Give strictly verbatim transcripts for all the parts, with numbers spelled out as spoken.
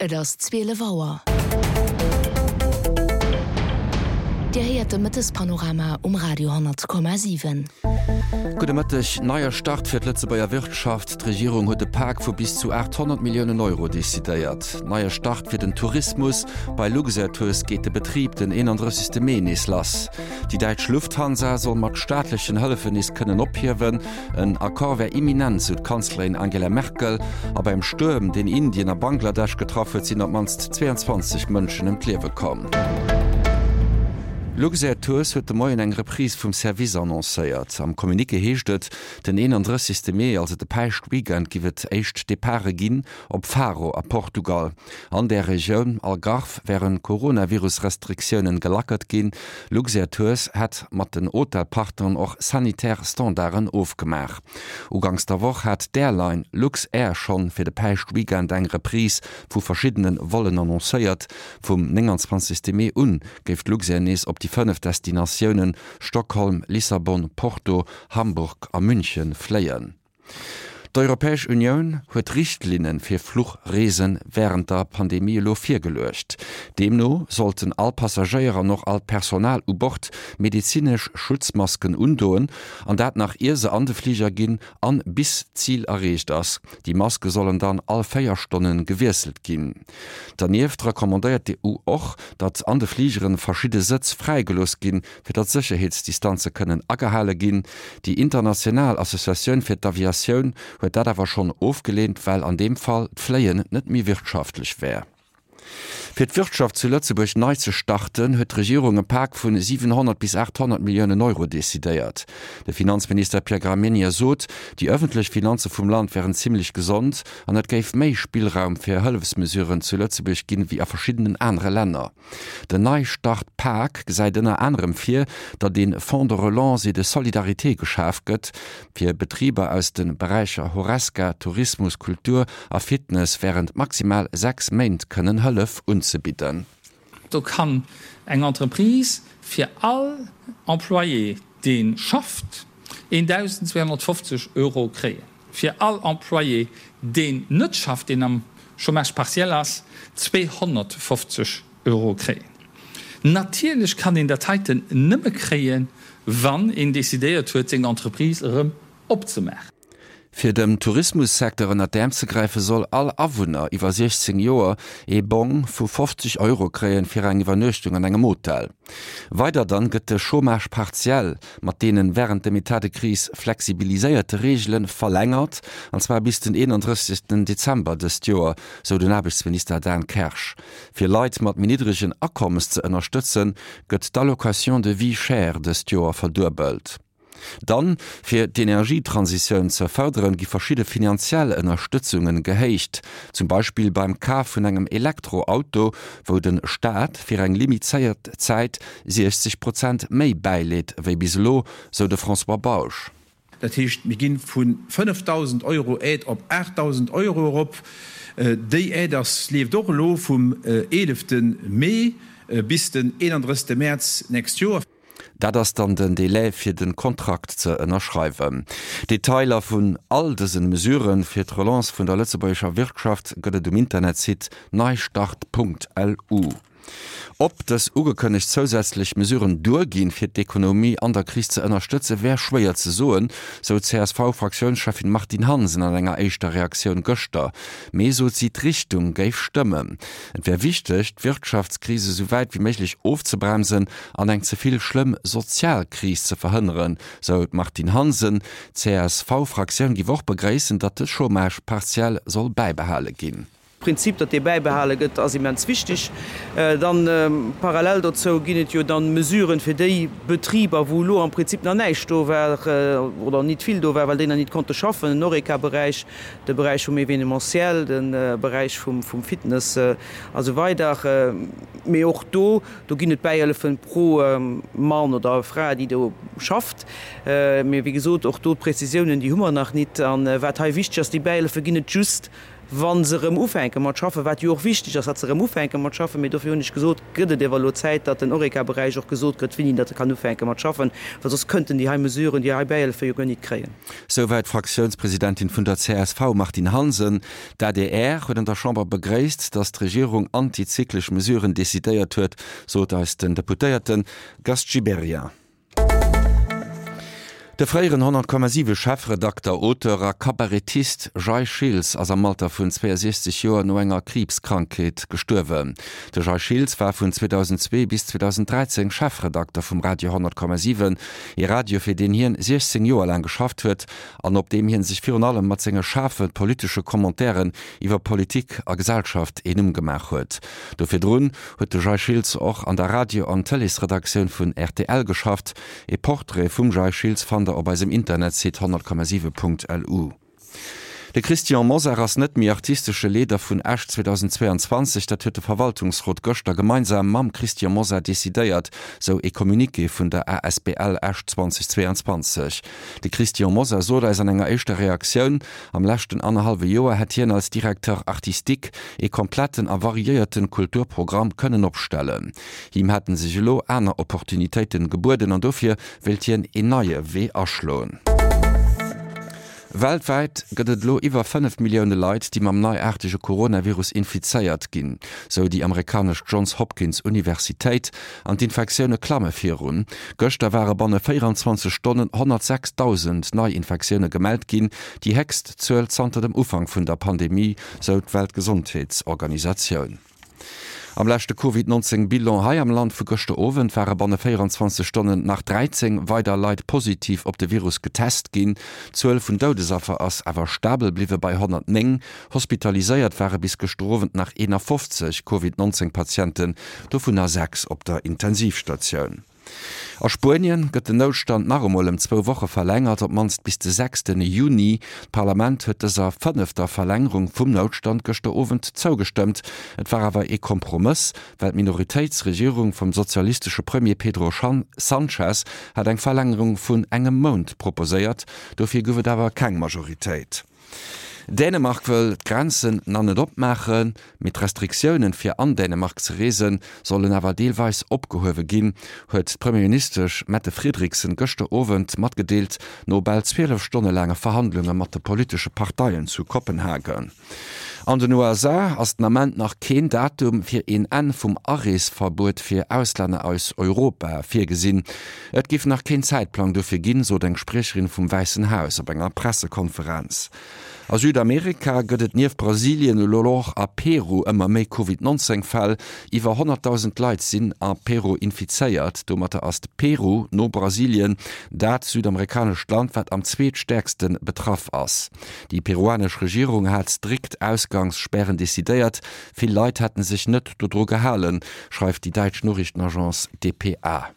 Et ass zwielef Auer. Dir héiert de Mëttespanorama um Radio honnert Komma siwen. Gudde Mëtteg. Neier Start fir d'Lëtzebuerger Wirtschaft, D'Regierung huet e Pak vu bis zu aathonnert Milliounen Euro decidéiert. Neie Start fir den Tourismus, Bei Luxair Tours geet de Betrib den eenandrëssegste Mee nees lass. Déi däitsch Lufthansa soll mat staatlechen Hëllefen nees kënnen ophiewen. En Accord wär imminent, sou d'Kanzlerin Angela Merkel. A beim Stuerm, deen Indien a Bangladesch getraff huet, sinn op d'mannst zweeanzwanzeg Mënschen ëm d'Liewe komm. Luxair Tours huet de Moien eng Reprise vum Service annoncéiert. Am Communiqué heescht et, den eenandrëssegste Mee, also de Päischtweekend, giff et éischt Departe ginn op Faro a Portugal. An där Regioun Algarve wären d'Coronavirus-Restriktiounen gelackert ginn. Luxair Tours hätt mat den Hotelpartneren och sanitär Standarden ofgemaach. Uganks der Woch hat d'Airline Luxair schonn fir de Päischtweekend eng Reprise vu verschiddene Vollen annoncéiert. Vum nénganzwanzegste Mee un géif d'Luxair nees op déi fënnef Destinatiounen Stockholm, Lissabon, Porto, Hamburg a München fléien. D'Europäesch Unioun huet Richtlinne fir Fluchreese wärend der Pandemie elo virgeluecht. Deemno sollten all Passagéier an och all d'Personal u Bord medezinesch Schutzmasken undoen, an dat nach ier se an de Fliger ginn an bis d'Zil erreecht ass. Déi Maske sollen dann all véier Stonne gewiesselt ginn. Dernieft recommandéiert d'EU och, datt an de Fligere verschidde Sëtz fräigelooss ginn, fir datt Sécherheetsdistanze kënnen agehale ginn. Déi international Associatioun fir d'Aviatioun huet dat awer schonn ofgeleent, well an deem Fall d'Fléien net méi wirtschaftlech wär. Fir d'Wirtschaft zu Lëtzebuerg nei ze starten, huet d'Regierung e Pak vun siwenhonnert bis aathonnert Milliounen Euro decidéiert. De Finanzminister Pierre Gramegna sot, déi ëffentlech Finanze vum Land wären zimmlech gesond an et géif méi Spillraum fir Hëllefsmesuren zu Lëtzebuerg ginn, wéi a verschiddenen anere Länner. Den Neistart-Pak gesäit ënner anerem vir, datt ee Fonds de relance et de solidarité geschaf gëtt, fir Betriber aus de Beräicher Horesca, Tourismus, Kultur a Fitness wärend maximal sechs Méint kënnen Hëllef unzebidden. Do kann eng Entreprise fir all Employé, dee schafft, eendausend zweehonnertfofzeg Euro kréien, fir all Employé, deen net schafft, deen am Chômage partiel ass, zweehonnertfofzeg Euro kréien. Natierlech kann een dat heiten nëmme kréien, wann een decidéiert huet, seng Entreprise erëm opzemaachen. Fir dem Tourismussecteur ënner d'Äerm ze gräifen, soll all Awunner iwwer siechzéng Joer ee Bong vu fofzeg Euro kréien fir eng Iwwernuechtung an engem Hotel. Weider dann gëtt de Chômage partiel mat deenen wärend dem Etat de crise flexibiliséierte Reegelen verlängert, an zwar bis den eenandrëssegsten Dezember dëst Joer, sou den Aarbechtsminister Dan Kersch. Fir Leit mat méi niddregen Akommes ze ënnerstëtzen, gëtt d'Allocation de vie chère dëst Joer verduebelt. Dann, fir d'Energietransitioun ze fërderen, gi verschidde finanziell Ënnerstëtzungen gehéicht, zum Beispill beim Kaf vun engem Elektroauto, wou de Staat fir eng limizéiert Zäit siechzeg Prozent méi bäileet wéi bis elo, sou de François Bausch. Dat heescht, mir gi vu fënnefdausend Euro Aide op aachtdausend Euro erop. Déi Aide ass, leeft och elo vum eelefte Mee bis den eenandrëssegste Mäerz d'nächst Joer. Dat ass dann den Delai fir de Kontrakt ze ënnerschreiwen. Detailer vun all dësen Mesuren fir d'Relance vun der lëtzebuergescher Wirtschaft gëtt et um Internetsite neistart.lu. Ob dës ugekënnegt zousätzlech Mesuren duerginn, fir d'Ekonomie an der Kris ze ënnerstëtzen, wär schwéier ze soen, sou d'CSV-Fraktiounscheffin Martine Hansen an enger éischter Reaktioun gëschter. Mee, sot si, d'Richtung géif stëmmen. Et wär wichteg, d'Wirtschaftskris esou wäit wéi méiglech ofzebremsen an eng ze vill schlëmm sozial Kris ze verhënneren, sou d'Martine Hansen. D'CSV-Fraktioun géif och begréissen, datt de Chômage partiel soll bäibehale ginn. Prinzip, datt dee bäibehale gëtt, ass immens wichteg. Dann parallel dozou ginn et jo dann Mesuren fir déi Betriber, wou elo am Prinzip nach näischt do war oder nit vill do war, well déi nach nit konnte schaffen, den Horeca-Beräich, de Beräich vum Événementiel, de Beräich vum Fitness a sou weider. Mee och do, do ginn et Bäihëllefen pro Mann oder Fra, déi do schafft. Mee wéi gesot, och do d'Prezisiounen, déi hu mer nach nit. A wat hei wichteg ass, déi Bäihëllefe ginn et just, wa se erëm ufänke mat schaffen, wat jo och wichteg ass, datt se erëm ufänke mat schaffen. Mee dofir hunn ech gesot, gëtt et ewer elo Zäit, datt den Horeca-Beräich och gesot kritt, wéini datt e kann ufänke mat schaffen, well soss kënnten déi hei Mesuren, déi hei Bäihëllefe jo guer nit kréien. Souwäit d'Fraktiounspresidentin vun der csv Martine Hansen. D'adr huet an der Chamber begréisst, datt d'Regierung antizyklesch Mesuren decidéiert huet, sot eis den Deputéierte Gast Gibéryen. De fréieren honnert Komma siwe Chefredakter, Auteur a Kabarettist Jay Schiltz ass am Alter vun zweeësiechzeg Joer no enger Kriibskrankheet gestuerwen. De Jay Schiltz war vun zweedausendzwee bis zweedausenddräizéng Chefredakter vum Radio honnert Komma siwen, ee Radio fir deen hien siechzéng Joer laang geschafft huet an op deem hien sech virun allem mat senge schaarfe politesche Commentairen iwwer Politik a Gesellschaft een Numm gemaach huet. Do virdrun huet de Jay Schiltz och an der Radio an Tëleesredaktioun vun rtl geschafft. Ee Portrait vum Jay Schiltz fannt der op eisem Internetsite honnert Komma siwe Punkt lu. De Christian Mosar ass net méi artistesche Leeder vun Esch zweedausendzweeanzwanzeg. Dat huet de Verwaltungsrot gëschter gemeinsam mam Christian Mosar decidéiert, sou ee Communiqué vun der asbl Esch zweedausendzweianzwanzeg. De Christian Mosar sot eis an enger éischter Reaktioun, am leschten annerhallwe Joer hätt hien als Directeur artistique ee kompletten a variéierten Kulturprogramm kënnen opstellen. Him hätten sech elo aner Opportunitéiten gebueden an dofir wéilt hien een neie Wee aschloen. Weltwäit gëtt et elo iwwer fënnef Millioune Leit, déi mam neiaartege Coronavirus infizéiert ginn, sou déi amerikanesch Johns Hopkins Universitéit. An d'Infektioune klamme virun. Gëschter ware banne véieranzwanzeg Stonnen honnertsechsdausend Neiinfektioune gemellt ginn, déi héchst Zuel zanter dem Ufank vun der Pandemie, sou d'Weltgesondheetsorganisatioun. Am leschte Covid neunzéng Bilan hei am Land vu gëschter Owend ware banne véieranzwanzeg Stonnen nach dräizéng weider Leit positiv op de Virus getest ginn. D'Zuel vun Doudesaffer ass awer stabel bliwwe bei honnertnéng. Hospitaliséiert ware bis gëschter Owend nach eenafofzeg Covid neunzéng Patienten, dovunner sechs op der Intensivstatioun. A Spuenien gëtt den Noutstand nach emol ëm zwou Woche verlängert, op d'mannst bis de sechste Juni. D'Parlament huet dëser fënnefter Verlängerung vum Noutstand gëschter Owend zougestëmmt. Et war awer ee Kompromëss, well d'Minoritéitsregierung vum sozialistesche Premier Pedro Sanchez hat eng Verlängerung vun engem Mount proposéiert. Dofir gouf et awer keng Majoritéit. Dänemark wëll d'Grenzen nach net opmaachen, mee d'Restriktiounen, fir an Dänemark ze reesen, sollen awer deelweis opgehuewe ginn, huet d'Premierministesch Mette Frederiksen gëschter Owend matgedeelt, no bal zwielef Stonne laange Verhandlunge mat de politesche Parteien zu Kopenhagen. An den U S A ass den Ament nach keen Datum fir een Enn vum Areesverbuet fir Auslänner aus Europa virgesinn. Et géif nach keen Zäitplang dofir ginn, sot eng Spriecherin vum Wäissen Haus op enger Pressekonferenz. A Südamerika gëtt et nieft Brasilien elo och a Peru ëmmer méi Covid neunzéng Fäll. Iwwer honnertdausend Leit sinn a Peru infizéiert. Domatter ass Peru no Brasilien dat südamerikanescht Land, wat am zweetstäerkste betraff ass. Déi peruanesch Regierung hat strikt Ausgangsspären decidéiert. Vill Leit hätte sech net dodru gehalen, schreift déi däitsch Noriichtenagence D P A.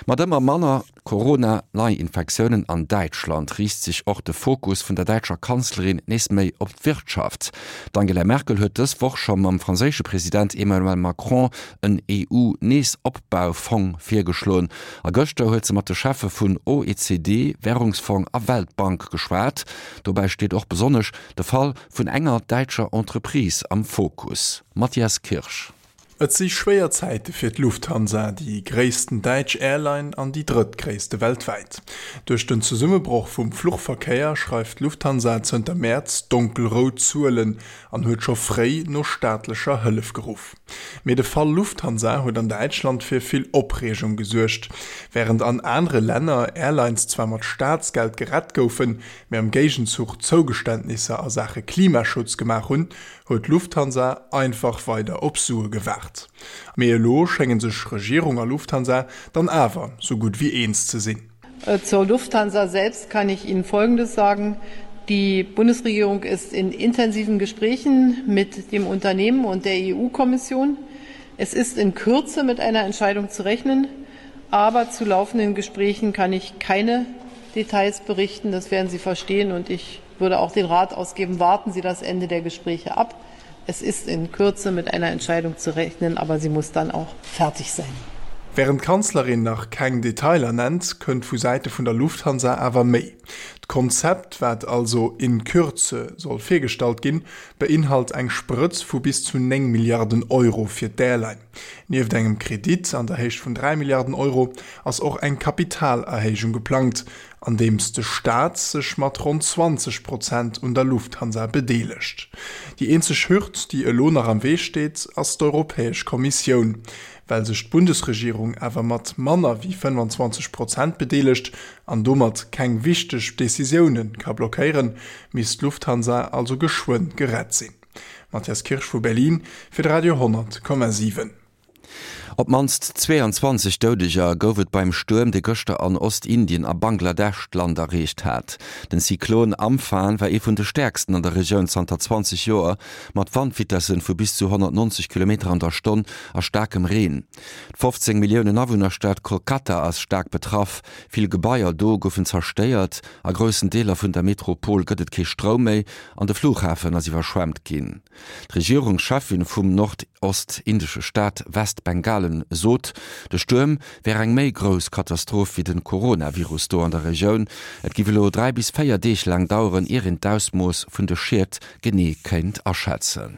Mat ëmmer manner Corona-Neiinfektiounen an Däitschland riicht sech och de Fokus vun der däitscher Kanzlerin nees méi op d'Wirtschaft. D'Angela Merkel huet dës Woch scho mam franséische President Emmanuel Macron en E U-Neesopbaufong virgeschloen. A gëschter huet se mat de Cheffe vun O E C D, Wärungsfong a Weltbank geschwat. Dobäi steet och besonnesch de Fall vun enger däitscher Entreprise am Fokus. Matthias Kirsch. Et si schwéier Zäite fir d'Lufthansa, déi gréissten däitsch Airline an déi drëttgréisste weltwäit. Duerch den Zesummebroch vum Fluchverkéier schreift d'Lufthansa zënter Mäerz donkelrout Zuelen an huet scho fréi no staatlecher Hëllef geruff. Mee de Fall Lufthansa huet an Däitschland fir vill Opreegung gesuergt. Wärend an anere Länner Airlines zwar mat Staatsgeld gerett goufen, mee am Géigenzuch Zougeständnisser a Saache Klimaschutz gemaach hunn, huet d'Lufthansa einfach weider op Sue gewaart. Mee elo schénge sech Regierung a Lufthansa dann awer sou gutt wéi eens ze sinn. Zur Lufthansa selbst kann ich Ihnen Folgendes sagen. Die Bundesregierung ist in intensiven Gesprächen mit dem Unternehmen und der E U-Kommission. Es ist in Kürze mit einer Entscheidung zu rechnen, aber zu laufenden Gesprächen kann ich keine Details berichten. Das werden Sie verstehen und ich würde auch den Rat ausgeben, warten Sie das Ende der Gespräche ab. Es ist in Kürze mit einer Entscheidung zu rechnen, aber sie muss dann auch fertig sein. Wärend d'Kanzlerin nach keng Detailer nennt, kënnt vu Säite vun der Lufthansa awer méi. D'Konzept, wat also in Kürze soll virgestallt ginn, beinhalt eng Sprëtz vu bis zu néng Milliarden Euro fir d'Airline. Nieft engem Kredit an der Héicht vun dräi Milliarden Euro ass och eng Kapitalerhéijung geplangt, andeems de Staat sech mat ronn zwanzeg Prozent un der Lufthansa bedeelegt. Déi eenzeg Hürd, déi elo nach am Wee steet, ass d'Europäesch Kommissioun. Well sech d'Bundesregierung awer mat manner wéi fënnwanzwanzeg Prozent bedeelegt an domat keng wichteg Decisioune ka blockéieren, misst d'Lufthansa also geschwënn gerett sinn. Matthias Kirsch vu Berlin fir de Radio honnert Komma siwen. Op d'mannst zweeanzwanzeg Doudeger gouf et beim Stuerm, dee gëschter an Ostindien a Bangladesch d'Land erreecht hat. Den Zyklon Amphan war ee vun de stäerksten an der Regioun zanter zwanzeg Joer, mat Wandvitessen vu bis zu honnertnonzeg Kilometer an der Stonn a staarkem Reen. D'fofzéng Milliounen Awunnerstad Kolkata ass staark betraff. Vill Gebaier do goufen zerstéiert, a groussen Deeler vun der Metropol gëtt et kee Stroum méi an de Flughafen ass iwwerschwemmt ginn. D'Regierungscheffin vum nordostindesche Staat Westbengalen sot, de Stuerm wär eng méi grouss Katastroph wéi de Coronavirus do an der Regioun. Et giff elo dräi bis véier Deeg laang daueren, ier een d'Ausmooss vun de Schied genee kéint aschätzen.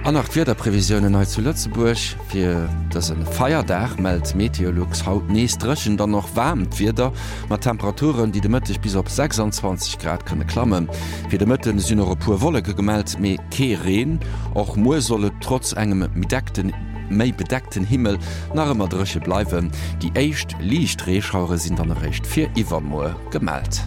An nach d'Wiederprevisiounen hei zu Lëtzebuerg fir dëse Feierdag mellt Meteolux haut nees dréchent an och waarmt Wieder mat Temperaturen, déi de Mëtteg bis op sechsandzwanzeg Grad kënne klammen. Fir de Mëtte sinn och e puer Wolleke gemellt, mee kee Reen. Och muer soll et trotz engem méi bedeckten Himmel nach ëmmer dréche bleiwen. Déi éischt liicht Reeschauere sinn dann eréischt fir iwwermuer gemellt.